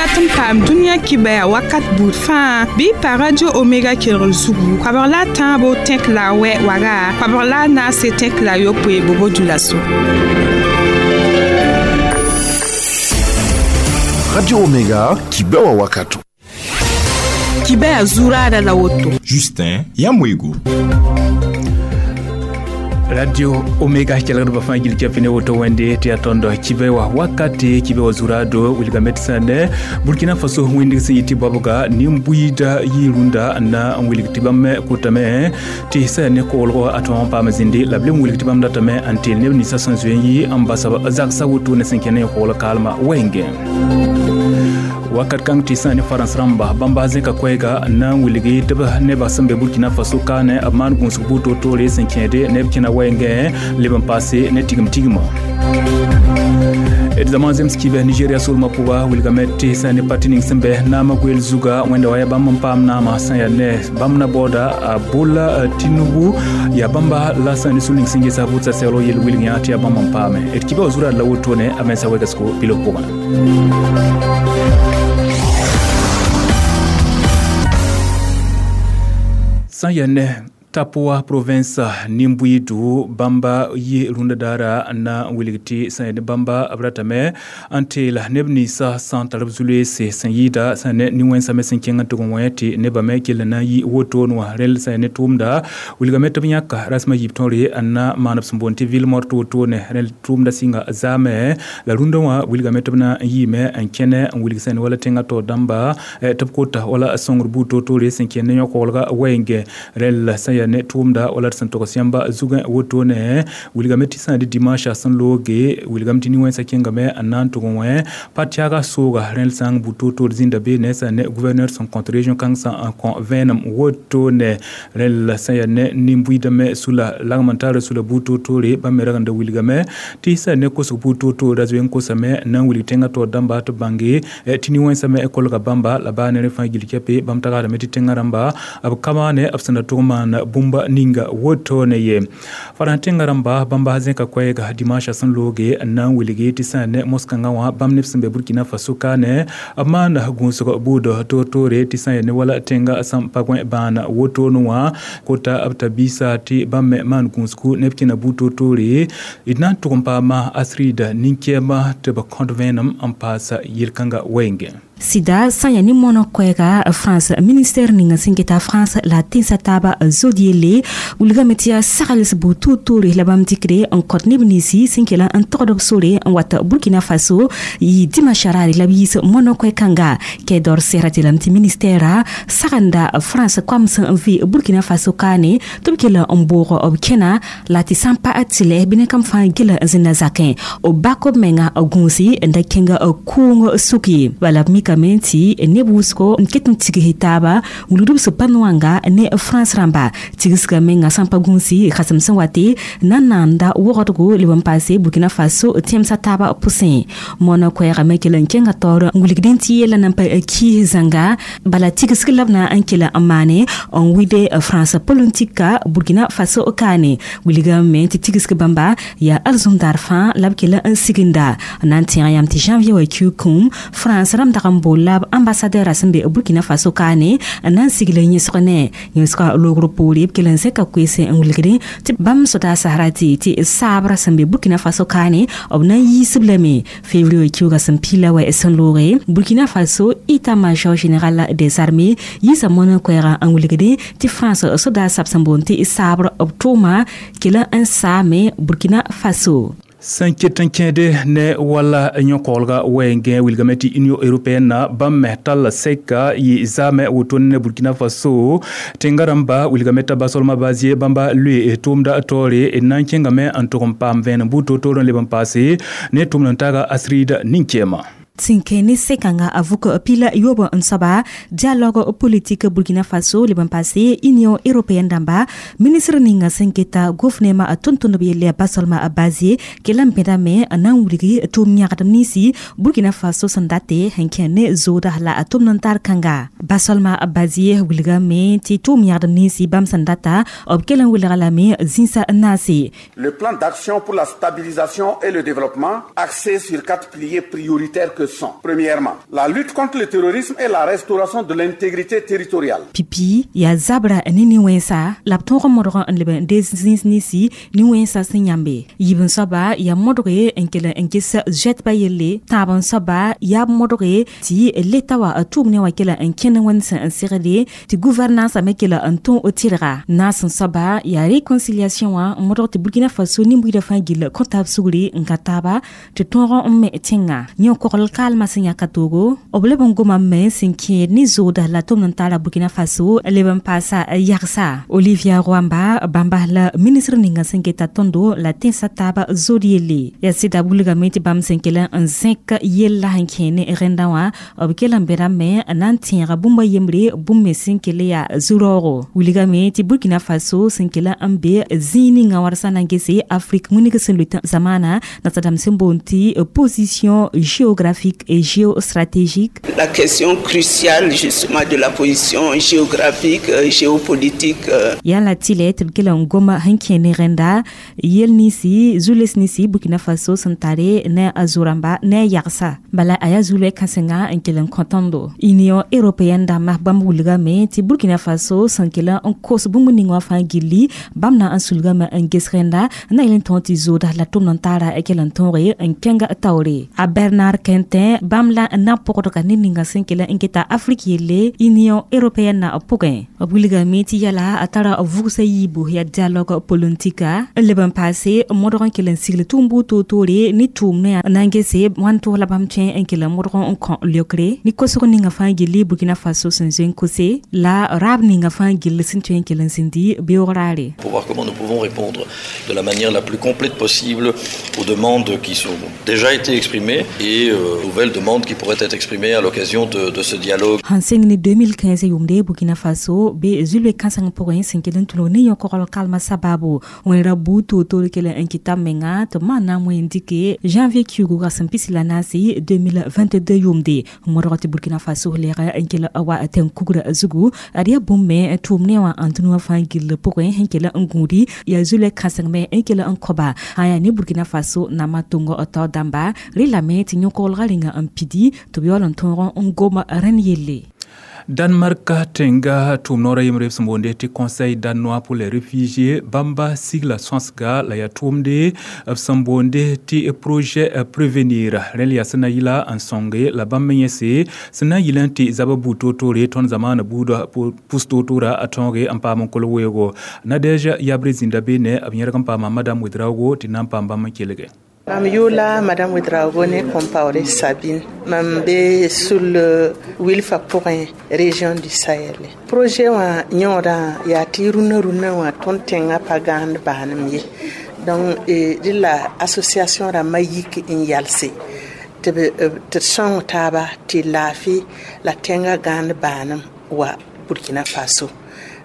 dat n paam dũniyã kibɛa wakat buud fãa bɩ pa Radio Omega kelgr zugu koabg la a tãabo tẽk la a wɛ waga koabg la a naase tẽk la a yopoe bobo dulaso. Radio Omega, kibɛwa wakato. Kibɛa zuraada la woto. Justin Yamwego. Radio Omega kelgdbã fãa gil kɛpɩ ne woto wẽnde tɩ yaa tõnd kibɛ wa wakate kibɛ wa zuraado wilgame tɩ sã ne Burkina Faso wẽndg sẽn yɩ tɩ baobga nin-buiida yɩ rũndã n na n wilg tɩ bãmb kotame tɩ sã ne koolgo a tõog n paam zĩndi la b leb n wilg tɩ bãmb datame n teel neb ninsã sẽn zoe n yɩ n basa zagsa woto ne sẽn kẽ ne kool kaalmã wɛɛngẽ. Wakat kãng tɩ sã ne farãns rãmba bãmba zẽka koɛɛga n na n wilgi tɩ b nebã sẽn be Burkina Faso kaane b maan gũusg buud toor-toore sẽn kẽede neb kẽna wɛɛngẽ leb n paase ne tigim tigimã. D zãma zems kibɛ Nigeria solmã pʋga wilgame tɩ sã ne parti ning sẽn bɛ naamã goeel zuga wẽnda wa yaa bãmb n paam naamã sã yaa ne bãmb na baooda a Bola Tinubu yaa bãmba la sã ne sũ ning sẽn gesa vʋʋdsa seglg yel wilg yã tɩ yaa bãmb n paame. D kibã wa zuraad la wotone a mensã wɛgsgo bilf pʋgã. Sã n yaa ne Tapoa province nin-buiidu bãmba yɩ rũndã daara n na n wilg tɩ sã n yaa ne bãmba b ratame n teela neb ninsã sã n tar b zu-loeese sẽn yɩɩda sã n ne nin-wẽnsã me sẽn kẽng n tʋg n wẽ tɩ nebã me kell n na n yɩ wotone wã rẽl sã n yaa ne tʋʋmda wilgame tɩ b yãka rasmã yiib tõre n na maan b sẽn boond tɩ ville morte wotone rẽl tʋʋmda sɩnga zaame la rũndã wã wilgame tɩ b na n yiime n kẽne n wilg sã n wala tẽngã taoor dãmba tɩ b kota wala sõngr buud toor-toore sẽn kẽnd ne yõ-koglga wɛɛngẽ rẽl sã n yaa ne tʋʋmda wala d sẽn togs yãmba zugẽ wotone wilgame tɩ sã n dɩ dimanche sẽn looge wilgame tɩ nin-wẽnsã kẽngame n na n tʋg n wẽ pa-tɛaga sooga rẽl sã n bud toor-toor zĩnda beene sã ne gouverneur sẽn kõt région kãng sã n kõ vẽenem wotone rẽl sã yaa ne nin-buiidame sula lagm n taara sula buud toor-toore bãmb me rag n da wilgame tɩ sã ne kosg buud toor-toor ra zoe n kosame n na n wilg tẽngã taoor dãmba tɩ b bãnge tɩ nin-wẽnsã me kolga bãmba la baa ne rẽ fãa gil kɛpe bãmb tagsdame tɩ tẽngã rãmba b ka maane b sẽn da tʋg n maan bũmba ninga wotone ye. Farãs tẽngã rãmba bãmba zẽka koɛɛga dimanche sẽn looge n na n wilgi tɩ sã ne moskãngã wã bãmb neb sẽn be Burkina Faso kaane b maana gũusg buud toor-toore tɩ sã n yaa ne wala tẽngã sẽn pa gõe bãana wotone wã kota b ta biisa tɩ bãmb me maan gũusgu neb kẽna buud toor-toore d na n tʋg n paama Asrida nin-kɛɛma tɩ b kõt vẽenem n paasa yel-kãngã wɛɛngẽ. Sɩda sã n yaa ne moonã koɛɛga France ministère ninga sẽn keta France la tẽnsã taaba zod yelle wilgame tɩ yaa sagls buud toor-toore la bãmb dɩkde n kõt neb ninsi sẽn kell n togd b sore n wat Burkina Faso yɩ dimanche raare la b yiis moonã koɛ-kãnga Kɛdor sɛgra tɩ lame tɩ ministɛɛra sagenda France koam sẽn n vɩ Burkina Faso kaane tɩ b kell n boog b kẽna la tɩ sã n pa tɩlɛ bɩ ne kam fãa gela n zĩnda zakẽ b bak b menga gũusi n da kẽnga kʋʋng suk ye bala b mikame tɩ neb wʋsgo n ket n tigsd taaba wilgd b sẽn pa noanga ne France rãmba tigsga menga sã n pa gũusi kãsem sẽn wate na n naanda wogdgo leb n paase Burkina Faso tẽmsã taaba pʋsẽ moonã koɛɛgame kell n kẽnga taoor n wilgdẽ tɩ yeela nan pa kiis zãnga bala tigsg la b na n kell n maane n wɩde France politika Burkina Faso kaane wilgame tɩ tigsg bãmba yaa arzũmdaar fãa la b kell n siginda na n tẽeg yam tɩ janvier wa kiu kũum France rãmb dag n bool la b ambassadeur sẽn be Burkina Faso kaane n na n sigl yẽsg ne yẽsga loogr poore b kell n zẽka koeese n wilgdẽ tɩ bãmb soda sasra tɩ tɩ saabra sẽn be Burkina Faso kaane b na n yiisb lame février wa kiuga sẽn pila wa sẽn looge Burkina Faso état-major général des armées yiisa moonã koɛɛga n wilgdẽ tɩ France soda sab sẽn boond tɩ saabr b tʋʋma kell n saame Burkina Faso. Sẽn ket n kẽede ne wala yõ-koglga wɛɛngẽ wilgame tɩ Union européenne na bãmb me tall sɛka yɩ zaame wotone ne Burkina Faso tẽngã rãmba wilgame t'a basolmã bazie bãmba loe tʋʋmda taoore n na n kẽngame n tʋg n paam vẽenem buud toor-toor n leb n paase ne tʋʋmd n taaga Asrida nin-kɛɛma. Sẽn kẽ ne sɛkãngã a vʋk pila yoob n soaba dialogue politique Burkina Faso leb n paase Union européenne dãmba ministre ninga sẽn keta gouvernement tʋm-tʋmdb yelle basolma bazie kell n bẽdame n na n wilgi tʋʋm yãgdem ninsi Burkina Faso sẽn date sẽn kẽ ne zooda la a tʋmd n tar kãnga basolma bazie wilgame tɩ tʋʋm yãgdem ninsi bãmb sẽn data b kell n wilga lame zĩnsa n naase. Le plan d'action pour la stabilisation et le développement axé sur quatre piliers prioritaires que sont, premièrement, la lutte contre le terrorisme et la restauration de l'intégrité territoriale. Pipi yaa zabra ne nin-wẽnsa la b tõog n modg n leb n dees zĩis ninsi nin-wẽnsã sẽn yãmbe. Yiib n soaba yaa modge n kell n ges zoɛtbã yelle. Tãab n soaba yaa b modge tɩ leta wa tʋʋm ne wã kell n kẽnd wẽnd sẽn n segde tɩ gouvernance me kell n tõo tɩrga. Naas n soaba yaa réconciliation wã n modg tɩ Burkina Faso nin-buiidã fãa gill kõ taab sugri n ka taaba tɩ tõog n me tẽnga. Yẽ kogl kaalmã sẽn yãka toogo b leb n goma me sẽn kẽed ne zooda la tʋmd n taara Burkina Faso leb n paasa yagsa. Olivia Rouamba bãmba la ministre ninga sẽn keta tõndo la tẽnsã taaba zood yelle. Yaa sɩda wilgame tɩ bãmb sẽn kell n zẽk yella sẽn kẽ ne rẽndã wã b kell n bẽdame n na n tẽega bũmb a yembre bũmb me sẽn kell yaa zu-raoogo. Wilgame tɩ Burkina Faso sẽn kell n be zĩig ninga wãrsa na n gese Afrique wĩneg sẽn loe zamaana nasadãmb sẽn boond tɩ position géographique et géostratégique. La question cruciale justement de la position géographique, géopolitique. Yaa la tɩlɛ tɩ b kell n goma sẽn kẽ ne rẽnda yel ninsi zu-les ninsi Burkina Faso sẽn tare ne a zo-rãmba ne a yagsa. Bala a yaa zu-loɛɛ kãsenga n kell n kõ tõndo. Union européenne dãmbã bãmb wilgame tɩ Burkina Faso sẽn kell n kos bũmb ning wã fãa gilli bãmb na n sulgame n ges rẽnda n na yel n tõog tɩ zooda la tʋmd n taara kell n tõoge n kẽng taoore. A Bernard Quintin bãmb la n na pʋgdga ned ninga sẽn kell n geta Afrique yelle Union européenne na pʋgẽ. B wilgame tɩ yɛla a tara vʋgsa yiibu yaa dialogue politika n leb n paase modg n kell n sigl tʋʋm-buud toor-toore ne tʋʋmdã na n gese wãn tʋg la bãmb tõe n kell n modg n kõ leokre ne kosg ninga fãa gilli Burkina Faso sẽn zoe n kose la raab ninga fãa gill sẽn tõe n kell n zĩndi beoog raare. Pour voir comment nous pouvons répondre de la manière la plus complète possible aux demandes qui sont déjà été exprimées et nouvelles demandes qui pourraient être exprimées à l'occasion de ce dialogue. Sãn sẽng ne 2015 yʋʋmde Burkina Faso be zulbe kãseng pʋgẽ sẽn kell n tʋlg ne yõ-kogl kalmã sababu wẽnra buud toor-toor kell n kɩta menga tɩ b maan na n wẽ n dɩke janvier kiugu rasem pisi la naase 2022 yʋʋmde n modg tɩ Burkina Faso lɛɛg n kell wa tẽn-kugrã zugu ad yaa bũmb me tʋʋm ne wã n dũniyã fãa gill pʋgẽ sẽn kell n gũudi yaa zulɛ kãseng me n kell n kõba sã yaa ne Burkina Faso nambã tʋng tao dãmba relame tɩ yõ-koglgã rĩnga n pidi tɩ b yaool n tõog n gom rẽnd yelle. Danemark tẽnga tʋʋm noora yembre b sẽn boonde tɩ Conseil danois pour les réfugiés bãmba sigla sõsga la yaa tʋʋmde b sẽn boonde tɩ projet prévenir rẽl yaa sẽn na yɩla n sõnge la bãmb me yẽse sẽn na n yɩl n tɩ zaba buud toor-toore tõnd zamaana buudã pʋs toor-toora a tõoge n paam n kol weoogo. Nadege Yabre zĩnda beene b yẽrg n paama Madame Ouedraogo tɩ na n paam bãmb n kelge. Mam yʋʋla Madame Ouedraogo ne Compaoré Sabine. Mam be sul wilfa pʋgẽ région du Sahel. Projet wã yõodã yaa tɩ rũnã rũnã wã tõnd tẽngã pa gãand baanem ye. Donc dẽ la association rãmbã yik n yalse tɩ d sõng taaba tɩ laafɩ la tẽngã gãand baanem wa Burkina Faso.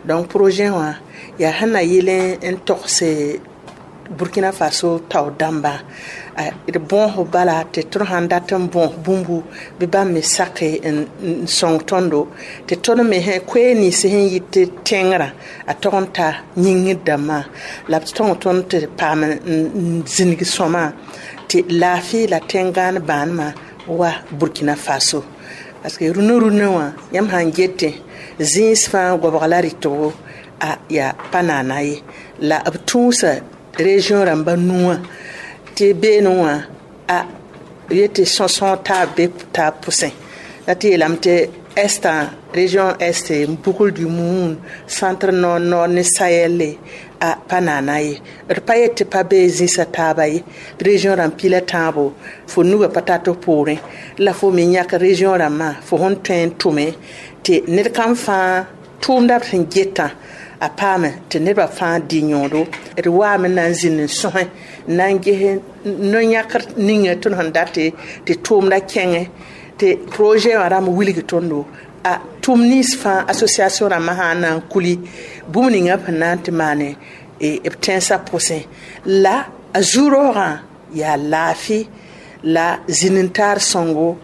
Donc projet wã yaa sẽn na yɩl n togse Burkina Faso tao dãmba d bõos bala tɩ tõnd sãn dat n bõos bũmbu bɩ bãmb me sake n sõng tõndo tɩ tõnd me koɛɛg nins sẽn yɩ tɩ tẽngrã a tog n ta yĩngr dãmbã la b tõng tõnd tɩ paam n zĩnig sõma tɩ laafɩ la tẽn-gãan bãanemã wa Burkina Faso. Parce que rũnã rũnã wã yãmb sãn getẽ zĩis fãa goabg la rɩtgo a yaa pa naana ye la b tũusa région rãmba nuwã tɩ beene wã a yetɩ sõsõog taab be taab pʋsẽ la tɩ yeelame tɩ est région est bugl du Mouhoun centre nord nord ne Sahel a pa naana ye d pa yet tɩ pa bee zĩsã taaba ye région rãmb pila tãabo fo nugã pa tat f poorẽ la fo me yãk région rãmbã fo sẽn tõe n tʋme tɩ ned kam fãa tʋʋmda b sẽn getã a paame tɩ nebã fãa dɩ yõodo d waame na n zĩnd n sõsẽ n na n ges no-yãkr ninga tõnd sẽn date tɩ tʋʋmda kẽngẽ tɩ projet wã rãmb wilg tõndo a tʋm nins fãa association rãmbã sã n na n kuli bũmb ninga b sẽn na n tɩ maane b tẽnsã pʋsẽ la a zu-raoogã yaa laafɩ la zĩnd-n-taar sõngo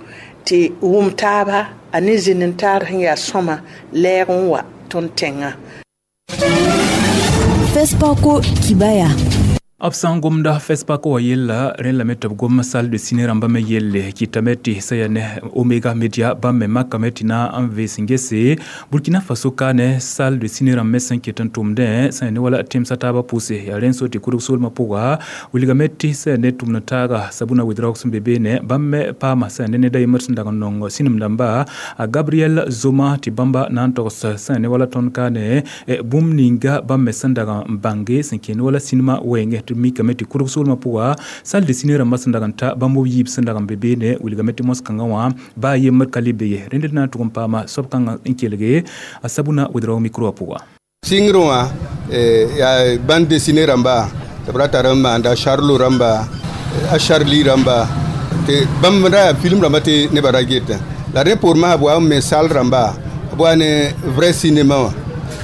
tɩ wʋm taaba a ne zĩnd-n-taar sẽn yaa sõma lɛɛg n wa tõnd tẽngã. FESPACO Kibaya. B sã n gomda FESPACO wã yella rẽn lame tɩ b gom salle de ciné rãmbã me yelle kɩtame tɩ sã yaa ne Omega Media bãmb me makame tɩ na n vees n gese Burkina Faso ka ne salle de ciné rãmb me sẽn ket n tʋmdẽ sã yaa ne wala tẽmsã taabã pʋse yaa rẽn so tɩ kʋdg soolmã pʋga wilgame tɩ sã yaa ne tʋmd taaga Sabuna Ouedraogo sẽn be beene bãmb me paama sã yaa ne ned a yembr sẽn dag n nong sĩnem dãmba a Gabriel Zoma tɩ bãmba na n togs sã yaa ne wala tõnd ka ne bũmb ninga bãmb me sẽn dag n bãnge sẽn kẽ ne wala sinema wɛɛngẽ tɩ mikame tɩ kʋdg soolmã pʋga salle de ciné rãmbã sẽn dag n ta bãmb b yiib sẽn dag n be beene wilgame tɩ mos-kãngã wã baa yembr ka le be ye rẽnd d na n tʋg n paama soab kãngã n kelge a Sabuna Ouedraogo micro wã pʋga. Sɩngrẽ wã yaa bande dessinée rãmba tɩ b ra tar n maanda Charlo rãmba a Charlie rãmba tɩ bãmb ra yaa film rãmba tɩ nebã ra getẽ la rẽ poor masã b wa n me salle rãmba b wa ne vrai cinéma wã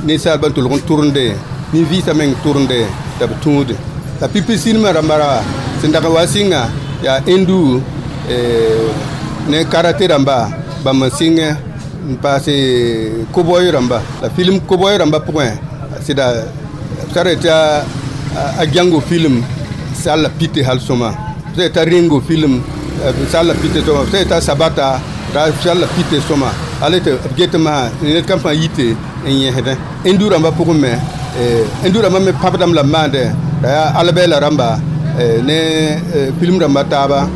ninsaalbã n tʋlg n tʋrende nin-vɩɩsã meng tʋrende tɩ b tũude la pipi sinema rãmba ra sẽn dag n wa sɩnga yaa hindu ne karate rãmba bãmb n sɩngẽ n paase koboy rãmba la film koboy rãmba pʋgẽ sɩda b tara tɩ a Django film sall pite hal sõma b t'a Ringo film sall pite sõma b t'a Sabata ra sall pite sõma ale tɩ b get masã ned kam fãa yite n yẽsdẽ hindu rãmba pʋgẽ me hindu rãmba me pãbdame la b maandẽ la yaa albɛɛla rãmba ne film rãmba taaba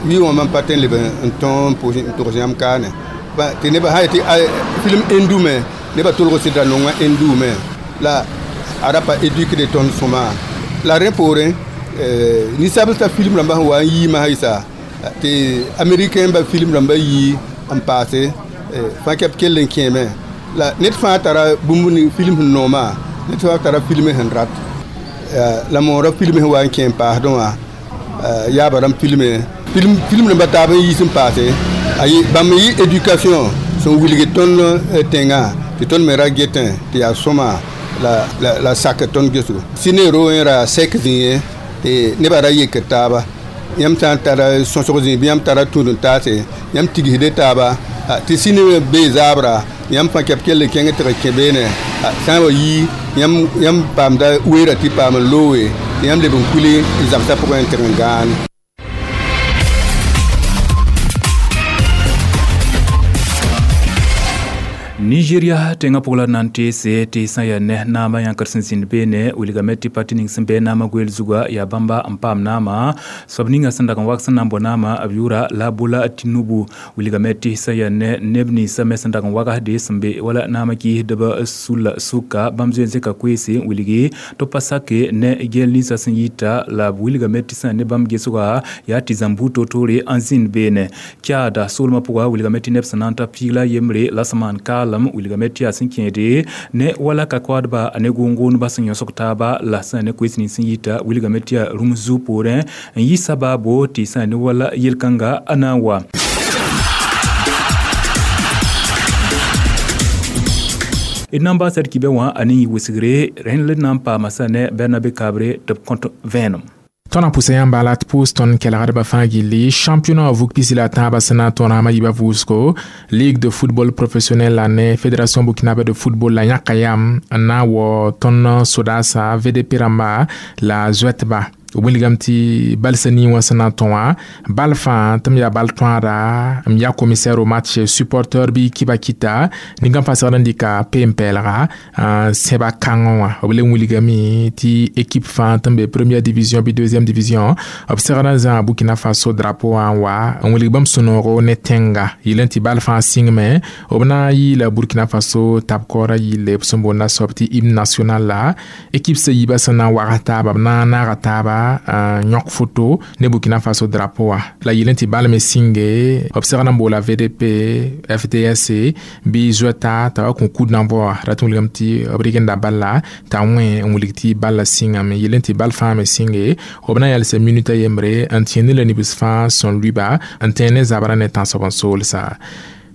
yɩ wã mam pa tõe n leb n tõ n togs yãmb kaane tɩ nebã sã yetɩ film hindu me nebã tʋlg sɩda nongã hindu me la a ra pa éduquede tõnd sõma la rẽ poorẽ ninsabl t'a film rãmbã sẽn wa n yii masã yɩsa tɩ américain ba film rãmbã yii n paase fãa kɛp kell n kẽeme la ned fãa tara bũmb film sẽn nooma ned fãa tara film sẽn rat la moorã film sẽn wa n kẽ n paasdẽ wã yaaba rãmb filme film rãmbã taab n yiis n paase bãmb yɩ éducation sẽn wilg tõnd tẽngã tɩ tõnd me ra getẽ tɩ yaa sõma la sak tõnd gesgo ciné ro ra sɛk zĩigẽ tɩ nebã ra yekd taaba yãmb sã n tara sõsg zĩig bɩ yãmb tara tũud n taase yãmb tigsde taaba tɩ ciné bee zaabra yãmb fãa kɛp kell n kẽng tɩg kẽ beene sã n wa yii yãmb paamda weera tɩ paam n looge tɩ yãmb leb n kuli n zãmsã pʋgẽ n tɩg n gãane. Nigeria tẽngã pʋg la na n teese tɩ sã n yaa ne naamã yãkr sẽn zĩnd beene wilgame tɩ pati ning sẽn bɩ naamã goeel zuga yaa bãmba n paam naamã soab ninga sẽn dag n wak sẽn na n bao naamã b yʋʋra la Bola Tinubu wilgame tɩ sã n yaa ne neb ninsã me sẽn dag n wagsde sẽn be wala naamã kɩɩsdb sulla sʋka bãmb zoe n zẽka koeese n wilgi tɩ pa sake ne gɛl ninsã sẽn yita la b wilgame tɩ sã n ne bãmb gesga yaa tɩ zãmb buud toor-toore n zĩnd beene Tchad soolmã pʋga wilgame tɩ neb sẽn na n ta piig la yembre la sẽn maan kaalem wilgame tɩ yaa sẽn kẽede ne wala ka koadba ne gʋʋn-gʋʋnba sẽn yõsg taaba la sã ne koees nins sẽn yita wilgame tɩ yaa rũm zu poorẽ n yɩ sabaabo tɩ sã ne wala yel-kãnga a na n wa. D na n baasa d kibɛ wã a ne yɩ wɩsgre rẽnd la d na n paama sã ne Bernabe Kabre tɩ b kõt vẽenem. Tõnd pʋsa yãmba la tɩ pʋʋs tõnd kelgdbã fãa gilli championnat vug pisi la tãabã sẽn na n tõrãmã yiibã vʋʋsgo ligue de football professionnel la ne fédération burkinabé de football la yãka yam n na n wao tõnd sodaasã VDP rãmba la zoɛtba b wilgame tɩ balsã nii wã sẽn na n tõ wã bal fãa tɩ m yaa bal tõada m yaa commissaire au match supporteur bɩ kiba kita ningã fãa segd n dɩka peem-pɛɛlga n sẽba kãngẽ wã b le wilgame tɩ équipe fãa tɩ n be première division bɩ deuxième division b segd n zãa Burkina Faso drapeau wã n wa n wilg bãmb sũ-noogo ne tẽnga yɩl n tɩ bal fãa sɩngme b na n yɩɩla Burkina Faso tab-kaoorã yɩlle b sẽn boonda soab tɩ hymne national la équipe sã yiibã sẽn na n wags taaba b na n naaga taaba yõk foto ne Burkina Faso drapeau wã la yɩl n tɩ bal me sĩnge b segd n boola VDP FDSC bɩ zoɛta t'a wa kõ kud na-n-vao wã rat n wilgame tɩ b rɩgenda balla t'a wẽ n wilg tɩ balla sɩngame yɩl n tɩ bal fãa me sĩnge b na n yalsa minuta yembre n tẽend la nibs fãa sẽn lʋɩba n tẽ ne zabrã ne tãnsb n soolsa.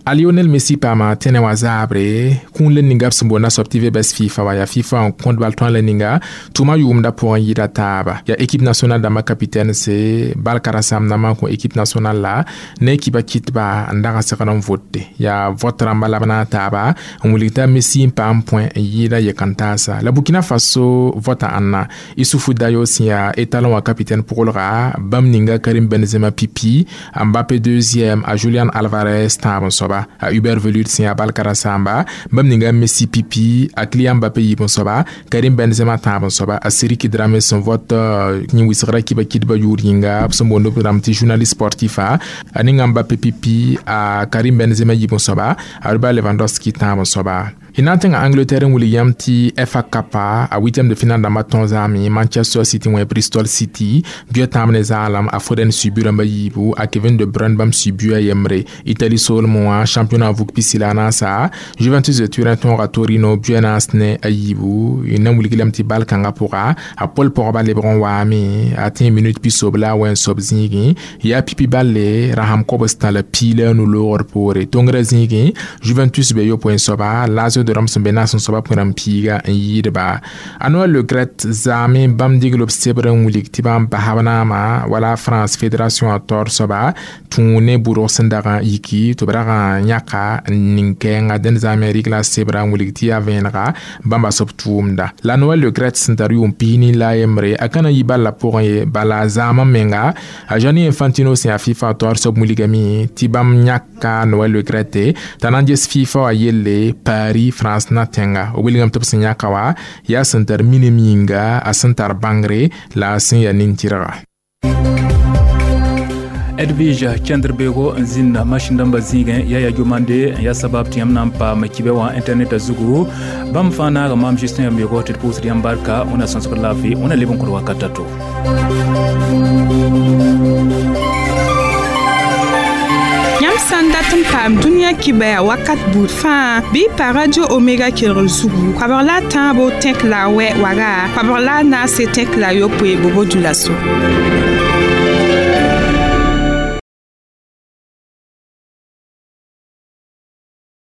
A Lionel Messi paama tẽnɛ wã zaabre kũun le ninga b sẽn boond soab tɩ vbs FIFA wa yaa FIFA n kõt bal tõa le ninga tʋʋma yʋʋmda pʋgẽ yɩɩda taaba yaa équipe nationale dãmbã capitaine se bal karen-saam dãmbã n kõ équipe nationale la ne kiba kɩtba n dag n segd n vote yaa vote rãmba la b na n taaba n wilg t'a Messi n paam point n yɩɩda yɛk-n-taasa la Burkina Faso vota ãnna Isufu Dayo sẽn yaa étalon wã capitaine pʋglga bãmb ninga Karim Benzema pipi, Mbappé deuxième, a Julian Alvarez tãab n soaba, a Hubert Velud sẽn yaa bal karen-saamba bãmb ninga Messi pipi, a Kylian Mbappé yiib n soaba, Karim Benzema tãab n soaba, a Siriki Dramé sẽn vot yẽ wɩsgra kiba kɩdbã yʋʋr yĩnga b sẽn boond b rãmb tɩ journaliste sportif a ninga Mbappé pipi, a Karim Benzema yiib n soaba, a Robert Lewandowski tãab n soaba. Y na n tẽnga Angleterre n wilg yãmb tɩ FA Cup a huitième de finale dãmbã tõog zaame Manchester City wẽ Bristol City buɛ tãab ne zaalem a Foden sui bu rãmbã yiibu, a Kevin De Bruyne bãmb sui bu a yembre. Italie soolmẽ wã championnat vug pisi la a naasa Juventus de Turin tõoga Torino buɛ naas ne a yiibu. Y na n wilg lame tɩ bal kãngã pʋga a pol pɔgba lebg n waame a tẽ minute pisob la a wɛ n soab zĩigẽ yaa pipi balle rasam kobs tã la piila nu loogr poore tongrã zĩigẽ Juventus be yopoe n soaba Lazio de Rome sẽn be naas n soaba pʋẽ piiga n yɩɩdba. A Noël Le Graët zaame bãmb digl b sebr n wilg tɩ bãmb basb naama wala France fédération a taoor soaba tũ ne bʋrg sẽn dag n yiki tɩ b rag n yãka n ning-kɛɛnga dẽnd zaame rɩgla sebra n wilg tɩ yaa vẽenega bãmba soab tʋʋmda la Noël Le Graët sẽn tar yʋʋm pisni la a yembre a ka na n yi bal la pʋgẽ ye bala a zaamã menga a Gianni Infantino sẽn yaa FIFA taoor soab wilgame tɩ bãmb yãka Noël Le Graët t'a na n ges FIFA wã yelle Paris France na tẽnga b wilgame tɩ b sẽn yãka wa yaa sẽn tar minim yĩnga a sẽn tar bãngre la a sẽn yaa nin-tɩrga. Edwige kẽndr-beoogo n zĩnda masĩn dãmbã zĩigẽ yaa ya gomande n yaa sabab tɩ yãmb na n paam kibɛ wã internet zugu bãmb fãa naaga maam Justin Yambeogo tɩ d pʋʋsd yãmb barka wẽna sõsgd laafɩ wẽna leb n kod wakat a to. Yãmb sã n dat n paam dũniyã kibɛa wakat buud fãa bɩ pa Radio Omega kelgr zugu koabg la a tãabo tẽk la a wɛ waga koabg la a naase tẽk la a yopoe bobo dula-so.